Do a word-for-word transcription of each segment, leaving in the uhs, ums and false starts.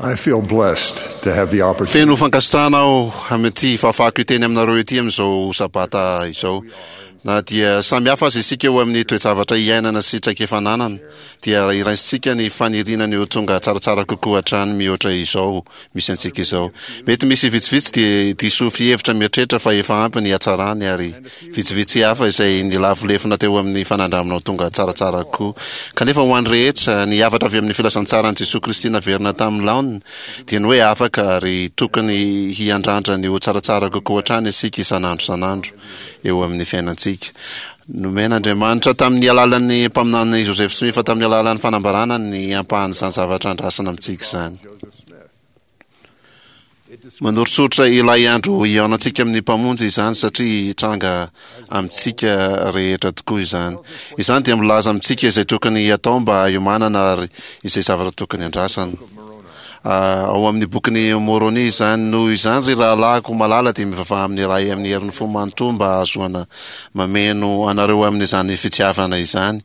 I feel blessed to have the opportunity. Feno fankasitrahana aho amin'ity fahafahako hiteny aminareo ity amin'izao Sabata izao. Na dia samy hafa aza isika eo amin'ny toe-javatra iainana sy traikefa ananana, dia iraisintsika ny faniriana ny ho tonga tsaratsara kokoa hatrany mihoatra izao misy antsika izao. Mety misy vitsivitsy dia diso fihevitra mieritreritra fa efa ampy ny hatsarany ary vitsivitsy hafa izay nilavo lefona teo amin'ny fanandramana ho tonga tsaratsara kokoa. Kanefa ho an'ny rehetra, ny hafatra avy amin'ny filazantsaran'i Jesoa Kristy naverina tamin'ny laoniny dia ny hoe afaka ary tokony hiandrandra ny ho tsaratsara kokoa hatrany isika isan'andro isan'andro eo amin'ny fiainantsika. Nomen'Andriamanitra tamin'ny alalan'ny mpaminany Joseph Smith tamin'ny alalan'ny fanambarana ny ampahan'izany zavatra andrasana amintsika izany. Manoritsoritra ilay andro hihaonantsika amin'ny Mpamonjy izany satria hitranga amintsika rehetra tokoa izany. Izany dia milaza amintsika izay tokony hatao mba hiomanana ary izay zavatra tokony andrasana. Ao amin'ny bokin'i Môrônia izany. Noho izany, ry rahalahiko malala, dia mivavaha amin'ny Ray amin'ny herin'ny fo manontolo mba hahazoana mameno anareo amin'izany fitiavana izany,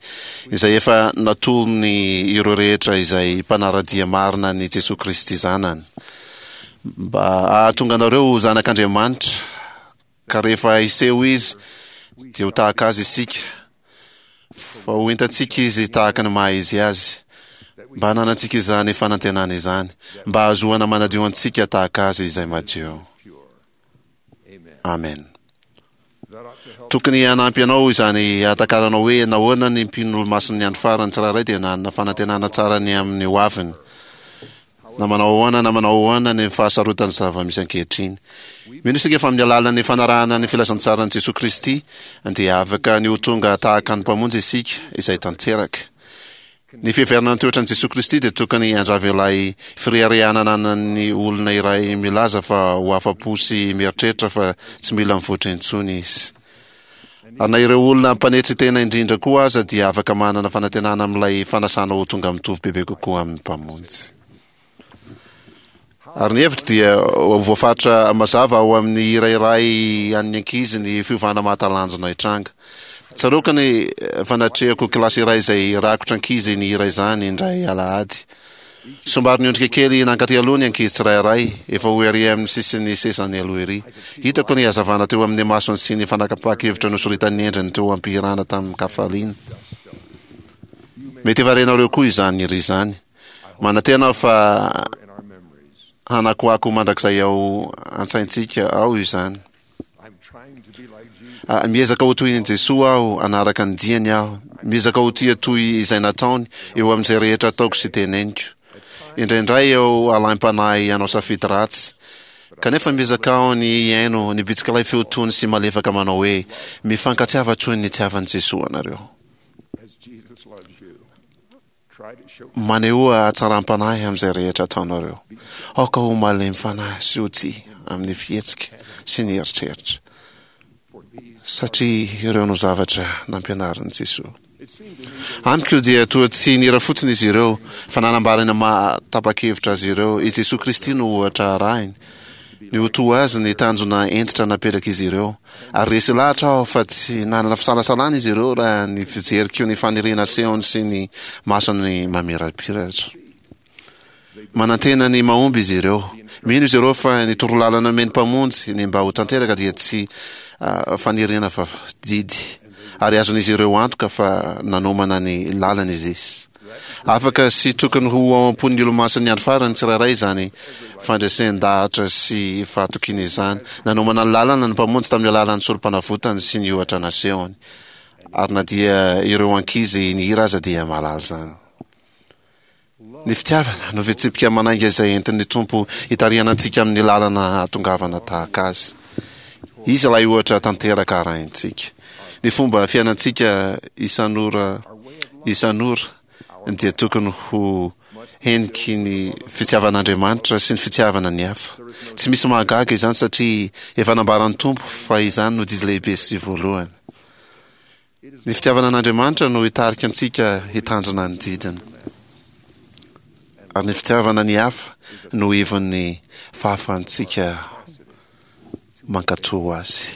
izay efa natolony ireo rehetra izay mpanara-dia marina an'i Jesoa Kristy Zanany, mba hahatonga anareo ho zanak'Andriamanitra, ka rehefa hiseho Izy, dia ho tahaka Azy isika, fa ho entantsika Izy tahaka ny maha-Izy Azy, mba hananantsika izany fanantenana izany, mba hahazoana manadio antsika tahaka Azy izay madio. Amen. Tokony hanampy anao izany hahatakaranao hoe nahoana ny mpino Olomasin'ny Andro Farany tsirairay dia nanana fanantenana tsara ny amin'ny hoaviny, na manao ahoana na manao ahoana ny fahasarotan'ny zava-misy ankehitriny. Mino isika fa amin'ny alalan'ny fanarahana ny filazantsaran'i Jesoa Kristy dia afaka ny ho tonga tahaka ny Mpamonjy isika, izay tanteraka. Ny fiheverana ny toetran'i Jesoa Kristy dia tokony handrava ilay fireharehana ananan'ny olona iray milaza fa ho afa-po sy mieritreritra fa tsy mila mivoatra intsony izy. Ary na ireo olona mpanetry tena indrindra koa aza dia afaka manana fanantenana amin'ilay fanasana ho tonga mitovy bebe kokoa amin'ny Mpamonjy. Ary ny hevitro dia ho voafaritra mazava ao amin'ny hira iray an'ny ankizy ny fiovana mahatalanjona hitranga. Tsaroako ny fanatrehako kilasy iray izay rakotra ankizy nihira izany indray alahady. Somary niondrika kely nankaty aloha ny ankizy tsirairay, efa ho ery amin'ny sisin'ny sezany aloha ery. Hitako ny hazavana teo amin'ny masony sy ny fanakapahan-kevitra nosoritan'ny endriny teo am-pihirana tamin-kafaliana. Mety efa renareo koa izany hira izany. Manantena aho fa hanakoako mandrakizay ao an-tsaintsika ao izany. Ah, miezaka ho toy an'i Jesoa aho, hanaraka ny diany aho. Miezaka ho tia toy izay nataony eo amin'izay rehetra ataoko sy teneniko. Indraindray aho alaim-panahy hanao safidy ratsy. Kanefa miezaka aho ny hihaino ny bitsik'ilay feo tony sy malefaka manao hoe, Mifankatiava toy ny nitiavan'i Jesoa anareo. Manehoa hatsaram-panahy amin'izay rehetra ataonareo. Aoka ho malemy fanahy sy ho tia amin'ny fihetsika sy ny eritreritra, satria ireo no zavatra nampianarin'i Jesoa. Amiko dia toa tsy nihira fotsiny izy ireo, fa nanambara ny maha tapa-kevitra azy ireo. I Jesoa Kristy no ohatra arahiny. Ny ho toa Azy ny tanjona hentitra napetrak'izy ireo. Ary resy lahatra aho fa tsy nanana fisalasalana izy ireo raha ny fijeriko ny faniriana asehony sy ny masony mamirapiratra. Manantena ny mahomby izy ireo. Mino izy ireo fa ny torolalana nomen'ny Mpamonjy ny mba ho tanteraka dia tsy faniriana fa didy, ary azon'izy ireo antoka fa nanomana ny lalana Izy. Afaka sy tokony ho ao am-pon'ny Olomasin'ny Andro Farany tsirairay izany fandresen-dahatra sy fahatokiana izany. Nanomana ny lalana ny Mpamonjy tamin'ny alalan'ny Sorompanavotany sy ny ohatra nasehony. Ary na dia ireo ankizy nihira aza dia mahalala izany. Ny fitiavana no fitsipika manainga izay entin'ny Tompo hitarihana antsika amin'ny lalana hahatongavana tahaka Azy. Izy ilay ohatra tanteraka arahintsika. Ny fomba fiainantsika isan'ora isan'ora dia tokony ho heniky ny fitiavan'Andriamanitra sy ny fitiavana ny hafa. Tsy misy mahagaga izany satria efa nambaran'ny Tompo fa izany no didy lehibe sy voalohany. Ny fitiavana an'Andriamanitra no hitarika antsika hitandrina ny didiny. Ary ny fitiavana ny hafa no ivon'ny fahafahantsika mankatò azy.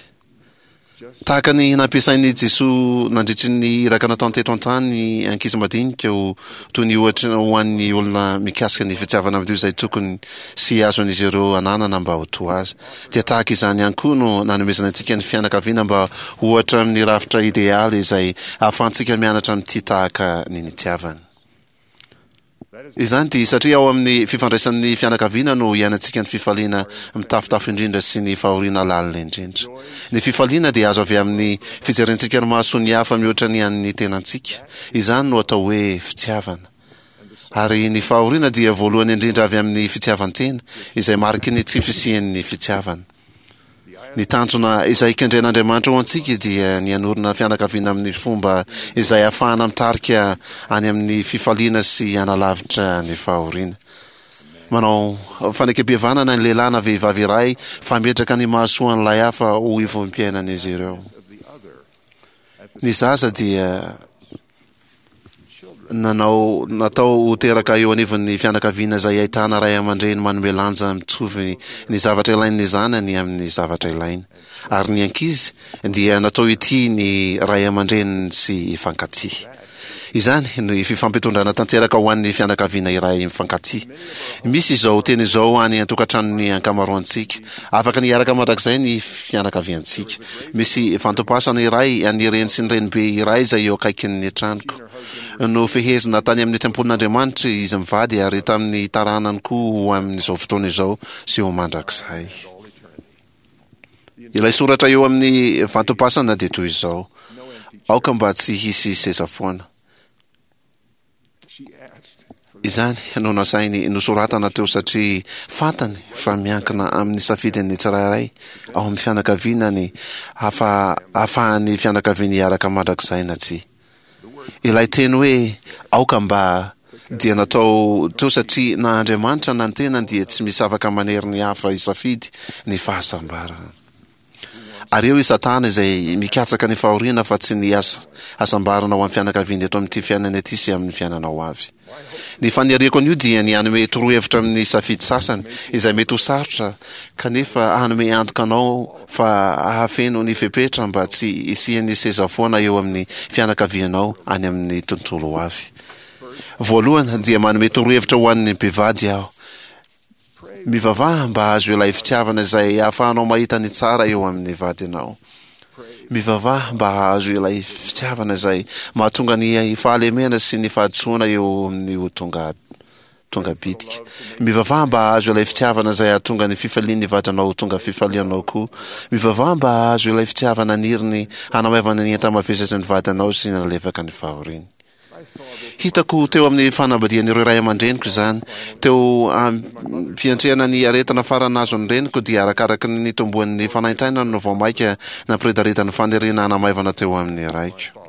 Tahaka ny nampiasain'i Jesoa nandritry ny iraka nataony teto an-tany ny ankizy madinika ho toy ny ohatra ho an'ny olona mikasika ny fitiavana madio izay tokony sy azon'izy ireo ananana mba ho toa azy, dia tahaka izany ihany koa no nanomezana antsika ny fianakaviana mba ho ohatra amin'ny rafitra idealy izay ahafahantsika mianatra mitia tahaka ny nitiavany. Izany dia satria ao amin'ny fifandraisan'ny fianakaviana no iainantsika ny fifaliana mitafotafo indrindra sy ny fahoriana lalina indrindra. Ny fifaliana dia azo avy amin'ny fijerentsika ny mahasoa ny hafa mihoatra ny an'ny tenantsika. Izany no atao hoe fitiavana. Ary ny fahoriana dia voalohany indrindra avy amin'ny fitiavan-tena, izay mariky ny tsy fisian'ny fitiavana. Ny tanjona izay kendren'Andriamanitra ho antsika dia ny hanorina fianakaviana amin'ny fomba izay ahafahana mitarika any amin'ny fifaliana sy hanalavitra ny fahoriana. Manao fanekempihavanana ny lehilahy na vehivavy iray fa hametraka ny mahasoa an'ilay hafa ho ivom-piainan'izy ireo. Ny zaza dia nanao natao ho teraka eo anivon'ny fianakaviana izay ahitana ray aman-dreny manome lanja mitovy ny zavatra ilain'ny zanany amin'ny zavatra ilainy. Ary ny ankizy dia natao hitia ny ray aman-dreniny sy hifankatia. Izany no fifampitondrana tanteraka ho an'ny fianakaviana iray mifankatia. Misy izao teny izao any an-tokantranon'ny ankamaroantsika, Afaka ny hiaraka mandrakizay ny fianakaviantsika. Misy vantom-pasana iray an'ny reny sy ny renibe iray izay eo akaikin'ny tranoko. Nofehezina tany amin'ny tempolin'Andriamanitra izy mivady ary tamin'ny taranany koa ho amin'izao fotoana izao sy ho mandrakizay. Ilay soratra eo amin'ny vantom-pasana dia toy izao, Aoka mba tsy hisy seza foana. Izany no nasainy nosoratana teo satria fantany fa miankina amin'ny safidin'ny tsirairay ao amin'ny fianakaviana ny hahafahan'ny fianakaviany hiaraka mandrakizay na tsia. Ilay teny hoe aoka mba dia natao teo satria na Andriamanitra na ny tenany dia tsy misy afaka manery ny hafa hisafidy ny fahasambarana. Ary eo i Satana izay mikatsaka ny fahoriana fa tsy ny hasambarana ho an'ny fianakaviana eto amin'ity fiainana ity sy amin'ny fiainana ho avy. Ny faniriako anio dia ny hanome torohevitra amin'ny safidy sasany izay mety ho sarotra kanefa hanome antoka anao fa hahafeno ny fepetra mba tsy hisian'ny seza foana eo amin'ny fianakavianao any amin'ny tontolo ho avy. Voalohany dia manome torohevitra ho an'ny mpivady aho. Mivavaha mba hahazo ilay fitiavana izay ahafahanao mahita ny tsara eo amin'ny vadinao. Mivavaha mba hahazo ilay fitiavana izay mahatonga ny fahalemena sy ny fahadisoana eo amin'ny ho tonga tonga bitika. Mivavaha mba hahazo ilay fitiavana izay hahatonga ny fifalian'ny vadinao ho tonga fifalianao koa. Mivavaha mba hahazo ilay fitiavana aniriny hanamaivana ny enta-mavesatry ny vadinao sy hanalefaka ny fahoriany. Hitako teo amin'ny fanambadian'ireo ray aman-dreniko izany. Teo am-piantrehana ny aretina farany nahazo ny reniko dia arakaraky ny nitomboan'ny fanaintainany no vao mainka nampiredareda ny faniriana hanamaivana teo amin'ny raiko.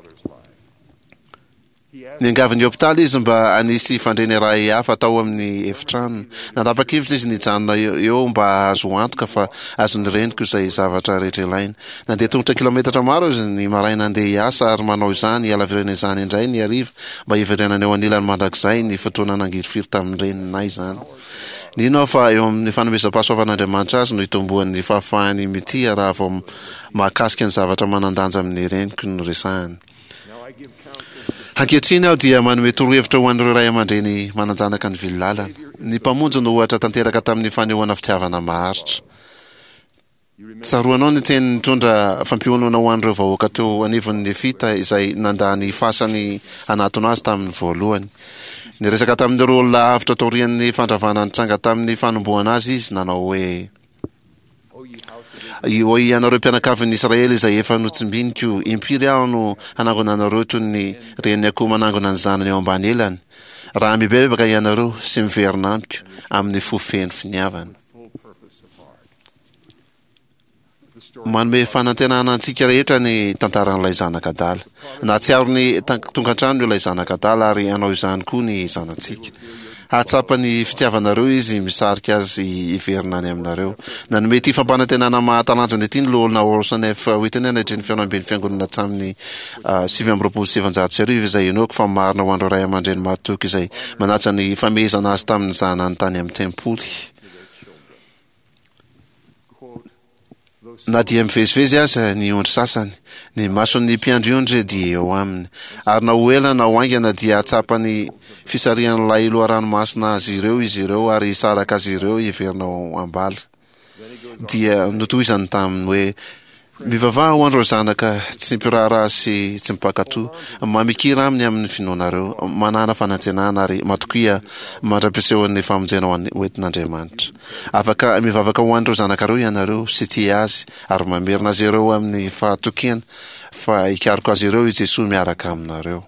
Niangavy ny hopitaly izy mba hanisy fandriana iray hafa tao amin'ny efitranony. Nanapa-kevitra izy ny hijanona eo mba hahazo antoka fa azon'ny reniko izay zavatra rehetra ilaina. Nandeha tongotra kilaometatra maro izy ny maraina handeha hiasa ary manao izany hihalavirana izany indray ny hariva mba hiverenana eo anilany mandrakizay ny fotoana nangirifiry tamin'ny reninay izany. Nino aho fa eo amin'ny fanomezam-pahasoavan'Andriamanitra azy no hitomboan'ny fahafahany mitia raha vao mahakasika ny zavatra manan-danja amin'ny reniko no resahany. Ankehitriny aho dia manome torohevitra ho an'ireo ray aman-dreny manan-janaka nivily lalana. Ny Mpamonjy no ohatra tanteraka tamin'ny fanehoana fitiavana maharitra. Tsaroanao ny teny nitondra fampionona ho an'ireo vahoaka teo anivon'ny Nefita izay nandà ny fasany hanatona azy tamin'ny voalohany. Niresaka tamin'ireo olona avotra taorian'ny fandravana nitranga tamin'ny fanombohana azy izy, nanao hoe, Ô ianareo mpianakavin'ny Israely izay efa notsimbiniko, impiry aho no hanangona anareo toy ny renin'ny akoho manangona ny zanany eo ambany elany, raha mibebaka ianareo sy miverina amiko amin'ny fo feno finiavana. Manome fanantenana antsika rehetra ny tantaran'ilay zanaka adala. Nahatsiaro ny tonga an-trano ilay zanaka adala ary hanao izany koa ny zanatsika. Hahatsapa ny fitiavanareo izy misarika azy hiverina any aminareo. Nanome ity fampanantenana mahatalanjona ity ny Loholona Orson F. Witten nandritry ny fihaonamben'ny Fiangonana tamin'ny sivy amby roapolo sy sivinjato sy arivo izay inoako fa marina ho an'ireo ray aman-dreny mahatoky izay manaja ny famehezana azy tamin'ny zanany tany amin'ny tempoly. Na dia mivezivezy aza ny ondry sasany, ny mason'ny mpiandry ondry dia eo aminy, ary na ho ela na ho haingana dia hahatsapa ny fisarihan'ilay loharano masina azy ireo izy ireo ary hisaraka azy ireo hiverina ao am-bala. Dia notohizany taminy hoe, Mivavaha ho an'ireo zanaka tsy mpiraharaha sy tsy mpankato, mamikira aminy amin'ny finoanareo, manàna fanantenana ary matokia mandra-pisehon'ny famonjena ho an'ny hoentin'Andriamanitra. Afaka mivavaka ho an'ireo zanakareo ianareo sy tia azy ary mamerina azy ireo amin'ny fahatokiana fa hikaroka azy ireo i Jesoa miaraka aminareo.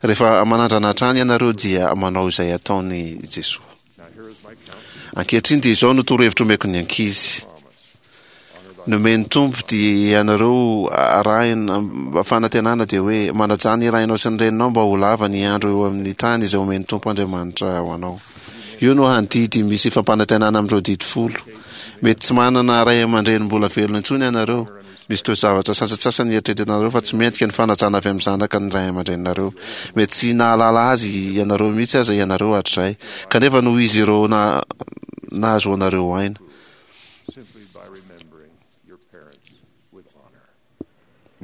Rehefa manandrana hatrany ianareo dia manao izay ataon'i Jesoa. Ankehitriny dia izao no torohevitra omeko ny ankizy. Nomen'ny Tompo dia ianareo arahina fanantenana dia hoe manajà ny rainao sy ny reninao mba ho lava ny andro eo amin'ny tany izay omen'ny Tompo Andriamanitra ho anao. Io no hany didy misy fampanantenana amin'ireo didy folo. Mety tsy manana ray aman-dreny mbola velona intsony ianareo. Misy toe-javatra sasantsasany eritreretinareo fa tsy mendrika ny fanajana avy amin'ny zanaka ny ray aman-dreninareo. Mety tsy nahalala azy ianareo mihitsy aza ianareo hatrizay, kanefa noho izy ireo nahazoanareo aina.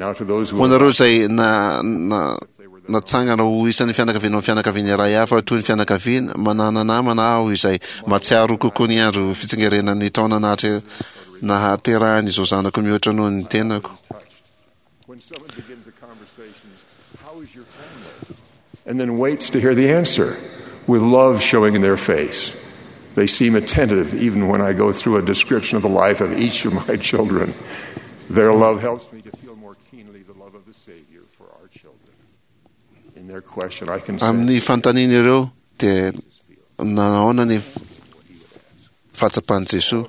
Ho anareo izay na, na, natsangana ho isan'ny fianakaviana ho fianakaviana iray hafa toy ny fianakaviana, manana namana aho izay mahatsiaro kokoa ny andro fitsingerenan'ny taona nahatre, nahaterahan'izao zanako mihoatra noho ny tenako. And then waits to hear the answer with love showing in their face. They seem attentive even when I go through a description of the life of each of my children. Their love helps me to feel more keenly the love of the Savior for our children. In their question, I can Amin'ny fanontaniana ireo dia nahoana ny fahatsapan'i Jesoa.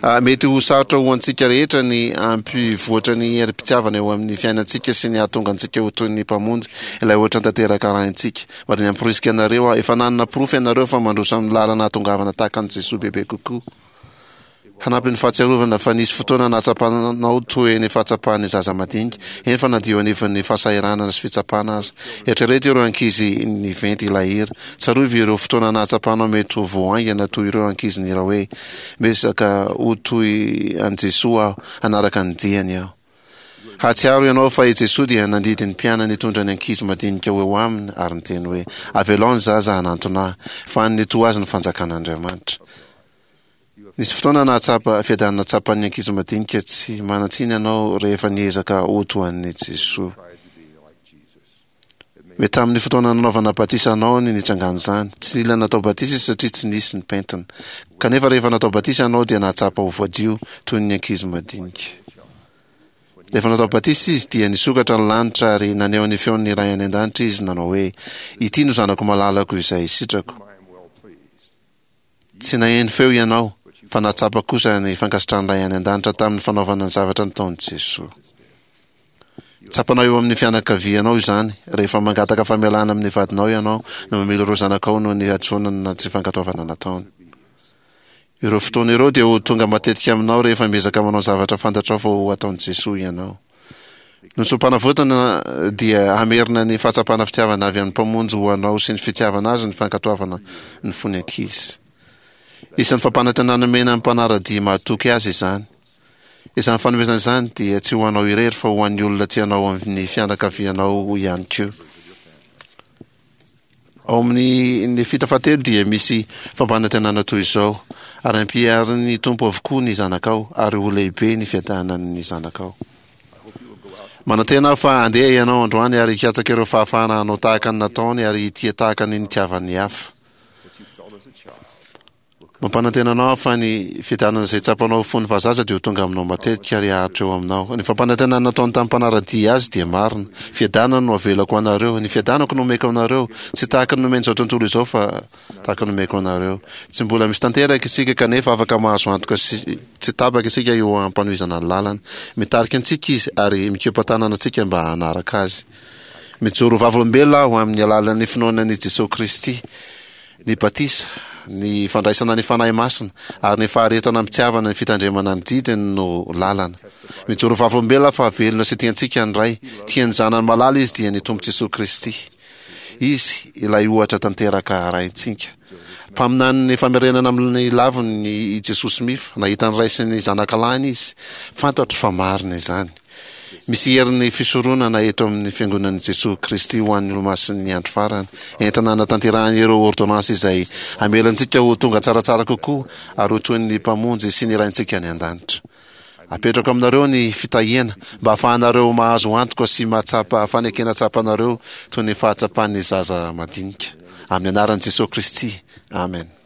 Ah, mety ho sarotra ho antsika rehetra ny hampivoatra ny herim-pitiavana eo amin'ny fiainantsika sy ny hahatonga antsika ho toy ny Mpamonjy, ilay ohatra tanteraka arahintsika. Mba ny hamporisika anareo aho, efa nanana porofo ianareo fa mandroso amin'ny lalana hahatongavana tahaka an'i Jesoa bebe kokoa. Hanampy ny fahatsiarovana fa nisy fotoana nahatsapanao toy ny fahatsapan'ny zaza madinika, eny fa na dia eo anivon'ny fahasahiranana sy fitsapana aza. Eritrereto ireo ankizy niventy ilay hira. Tsarovy ireo fotoana nahatsapanao mety ho vao haingana toy ireo ankizy nihira hoe, Miezaka ho toy an'i Jesoa aho, hanaraka ny diany aho. Hahatsiaro ianao fa i Jesoa dia nandidy ny mpianany hitondra ny ankizy madinika ho eo aminy ary niteny hoe, Avelao ny zaza hanantona ahy, fa an'ny toa azy ny fanjakan'Andriamanitra. Nisy fotoana nahatsapa fiadanana tsapan'ny ankizy madinika tsy manan-tsiny ianao rehefa niezaka ho toa an'i Jesoa. Mety tamin'ny fotoana nanaovana batisa anao ny nitrangan'izany. Tsy nila natao batisa izy satria tsy nisy ny pentina. Kanefa rehefa natao batisa ianao dia nahatsapa ho voadio toy ny ankizy madinika. Rehefa natao batisa izy dia nisokatra ny lanitra ary naneho ny feon'ny Ray any an-danitra izy nanao hoe, Ity no zanako malalako izay sitrako. Tsy naheno feo ianao, fa nahatsapa kosa ny fankasitrahan'ny Ray any An-danitra tamin'ny fanaovana ny zavatra nataon'i Jesoa. Tsapanao eo amin'ny fianakavianao izany, rehefa mangataka famelana amin'ny vadinao ianao, na mamela ireo zanakao noho ny hadisoana na tsy fankatoavana nataony. Ireo fotoana ireo dia ho tonga matetika aminao rehefa miezaka manao zavatra fantatrao fa ho ataon'i Jesoa ianao. Ny soa-panavotana dia hamerina ny fahatsapana fitiavana avy amin'ny Mpamonjy ho anao sy ny fitiavana Azy ny fankatoavana ny fony ankizy. Isan'ny fampanantenana nomena ny mpanara-dia mahatoky Azy izany. Izany fanomezana izany dia tsy ho anao irery fa ho an'ny olona tianao amin'ny fianakavianao ihany koa. Ao amin'ny Nefita fahatelo dia misy fampanantenana toy izao, Ary hampiharin'ny Tompo avokoa ny zanakao, ary ho lehibe ny fiadanan'ny zanakao. Manantena aho fa handeha ianao androany ary hikatsaka ireo fahafahana hanao tahaka ny nataony ary hitia tahaka ny nitiavan'ny hafa. Mampanantena anao aho fa ny fiadanana izay tsapanao fony fahazaza dia ho tonga aminao matetika ary haharitra eo aminao. Ny fampanantenana nataony tamin'ny mpanara-dia azy dia marina. Fiadanana no avelako ho anareo. Ny fiadanako no omeko anareo. Tsy tahaka ny nomen'izao tontolo izao fa tahaka ny omeko anareo. Tsy mbola misy tanteraka isika kanefa afaka mahazo antoka sy tsy tapaka isika eo am-panohizana ny lalana. Mitarika antsika Izy ary mikopa-tanana antsika mba hanaraka Azy. Mijoro ho vavolombelona aho amin'ny alalan'ny finoana an'i Jesoa Kristy. Ny batisa, ny fandraisana ny Fanahy Masina, ary ny faharetana am-pitiavana ny fitandremana ny didiny no lalana. Mijoro vavolombelona fa velona sy tia antsika ny Ray. Tia ny Zanany malala Izy dia ny Tompo Jesoa Kristy. Izy ilay ohatra tanteraka arahintsika. Mpaminanin'ny famerenana amin'ny laviny i Jesoa Smith. Nahita ny Ray sy ny Zanakalahiny izy. Fantatro fa marina izany. Misy herin'ny fisoronana eto amin'ny Fiangonan'i Jesoa Kristy ho an'ny Olomasin'ny Andro Farany, entina hanatanterahana ireo ôrdônansy izay hamela antsika ho tonga tsaratsara kokoa ary ho toy ny Mpamonjy sy ny Raintsika any An-danitra. Apetrako aminareo ny fitahiana mba hahafahanareo mahazo antoka sy mahatsapa fanekena tsapanareo toy ny fahatsapan'ny zaza madinika. Amin'ny anaran'i Jesoa Kristy, amena.